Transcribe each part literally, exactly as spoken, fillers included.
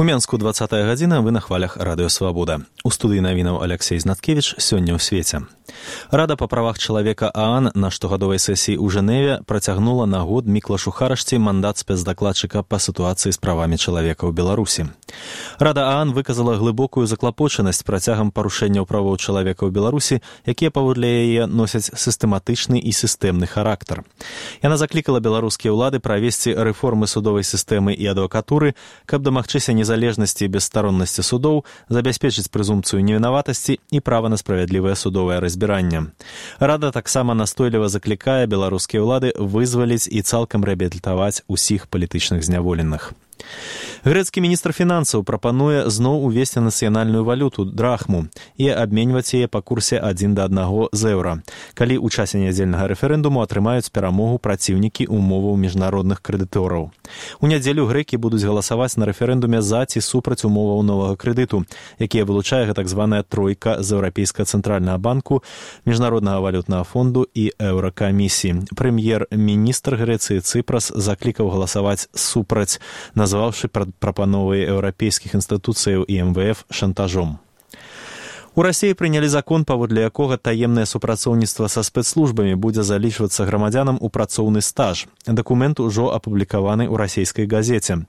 У Менску двадцатая гадзіна, вы на хвалях Радыё Свабода. У студыі навінаў Алексей Знаткевіч сёння ў свеце. Рада па правах чалавека ААН на штогадовай сесіі ў Жэневе працягнула на год Міклашу Харашці мандат спецдакладчыка па сітуацыі з правамі чалавека ў Беларусі. Рада ААН выказала глыбокую заклапочанасць працягам парушэнняў правоў чалавека ў Беларусі, якія паводле яе носяць сістэматычны і сістэмны характар. Яна заклікала беларускія ўлады правесці рэформы судовай сістэмы і адвакатуры, каб дамагчыся незалежнасці і бесстароннасці судоў, забяспечыць прэзумпцыю невінаватасці і права на справядлівае судовае разбіранне. Рада таксама настойліва заклікае беларускія ўлады вызваліць і цалкам рэабілітаваць усіх палітычных зняволеных. Грэцкі міністр фінансаў прапануе зноў увесці нацыянальную валюту драхму і абменьваць яе па курсе адзін да аднаго з еўра, калі ў часе нядзельнага рэферэндуму атрымаюць перамогу праціўнікі умоваў міжнародных крэдытораў. У нядзелю грэкі будуць галасаваць на рэферэндуме за ці супраць умоваў новага крэдыту, якія вылучае так званая тройка з еўрапейскага цэнтральнага банку, міжнароднага валютнага фонду і еўракамісіі. Прэм'ер-міністр Грэцыі Цыпрас заклікаў галасаваць супраць, назваўшы прапановы еўрапейскіх інстытуцыяў і эм вэ эф шантажом. У Расіі прынялі закон, паводле якога таемнае супрацоўніцтва са спецслужбамі будзе залічвацца грамадзянам у працоўны стаж. Дакумент ужо апублікаваны ў расійскай газеце.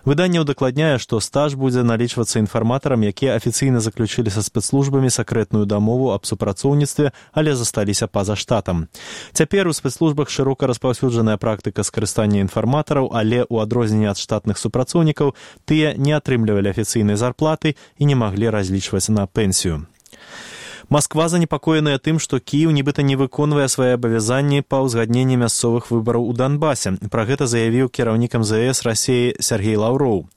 Выданне ўдакладняе, што стаж будзе налічвацца інфарматарам, якія афіцыйна заключылі са спецслужбамі сакрэтную дамову аб супрацоўніцтве, але засталіся па-за штатам. Цяпер у спецслужбах шырока распаўсюджаная практыка скарыстання інфарматараў, але ў адрозненне ад штатных супрацоўнікаў тыя не атрымлівалі афіцыйнай зарплаты і не маглі разлічваць на пенсію. Масква занепакоеная тым, што Кіеў нібыта не выконвае свае абавязанні па ўзгадненні мясцовых выбараў у Донбасе. Пра гэта заявіў кіраўнік эм зэ эс Расіі Сергей Лаўроў.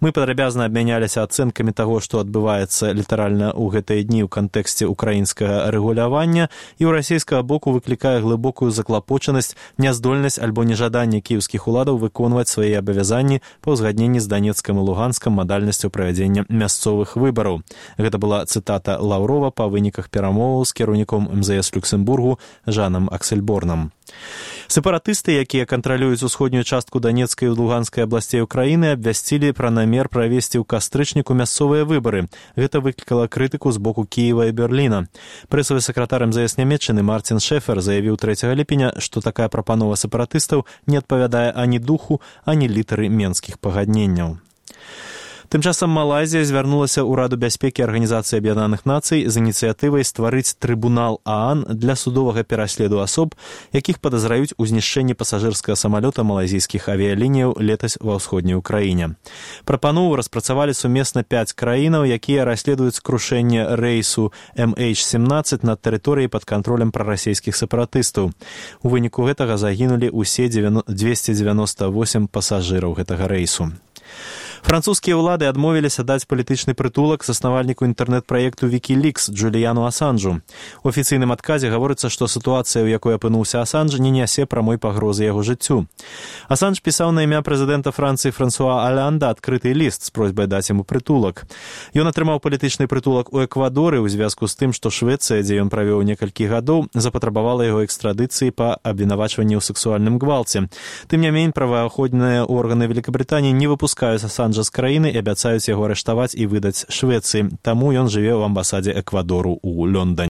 Мы падрабязна абмяняліся ацэнкамі таго, што адбываецца літаральна ў гэтыя дні ў кантэксце ўкраінскага рэгулявання, і ў расійскага боку выклікае глыбокую заклапочанасць, няздольнасць альбо нежаданне кіеўскіх уладаў выконваць свае абавязанні па ўзгадненні з Данецкам і Луганскам мадальнасцю правядзення мясцовых выбараў. Гэта была цытата Лаўрова па выніках перамоваў з кіраўніком эм зэ эс Люксембургу Жанам Аксельборнам. Сепаратысты, якія кантралююць усходнюю частку Данецкай і Луганскай абласцей Украіны, абвясцілі пра намер правесці ў кастрычніку мясцовыя выбары. Гэта выклікала крытыку з боку Кіева і Берліна. Прэсавы сакратар эм зэ эс Нямецчыны Мартин Шефер заявіў трэцяга ліпеня, што такая прапанова сепаратыстаў не адпавядае ані духу, ані літары менскіх пагадненняў. Тым часам Малайзія звярнулася ў Раду бяспекі Арганізацыі Аб'яднаных Нацый з ініцыятывай стварыць трыбунал ААН для судовага пераследу асоб, якіх падазраюць у знішчэнні пасажырскага самалёта малайзійскіх авіялініяў летась ва ўсходняй Украіне. Прапанову распрацавалі сумесна пяць краінаў, якія расследуюць крушэнне рэйсу эм эйч сямнаццаць на тэрыторыі пад кантролем прарасійскіх сепаратыстаў. У выніку гэтага загінулі ўсе дзвесце дзевяноста восем пасажыраў гэтага рэйсу. Французскія ўлады адмовіліся даць палітычны прытулак заснавальніку інтэрнэт-праекту Wikileaks Джуліяну Асанжу. У афіцыйным адказе гаворыцца, што сітуацыя, у якой апынуўся Асанж, не нясе прамой пагрозы яго жыццю. Асанж пісаў на імя прэзідэнта Францыі Франсуа Аланда адкрыты ліст з просьбай даць яму прытулак. Ён атрымаў палітычны прытулак у Эквадоры ў звязку з тым, што Швецыя, дзе ён правёў некалькі гадоў, запатрабавала яго экстрадыцыі па абвінавачванні ў сэксуальным гвалце. Тым не менш, праваахоўныя органы Великабрытаніі не выпускаюць Асанжа з краіны і абяцаюць яго арыштаваць і выдаць Швецыі. Таму ён жыве ў амбасадзе Эквадору ў Лондоне.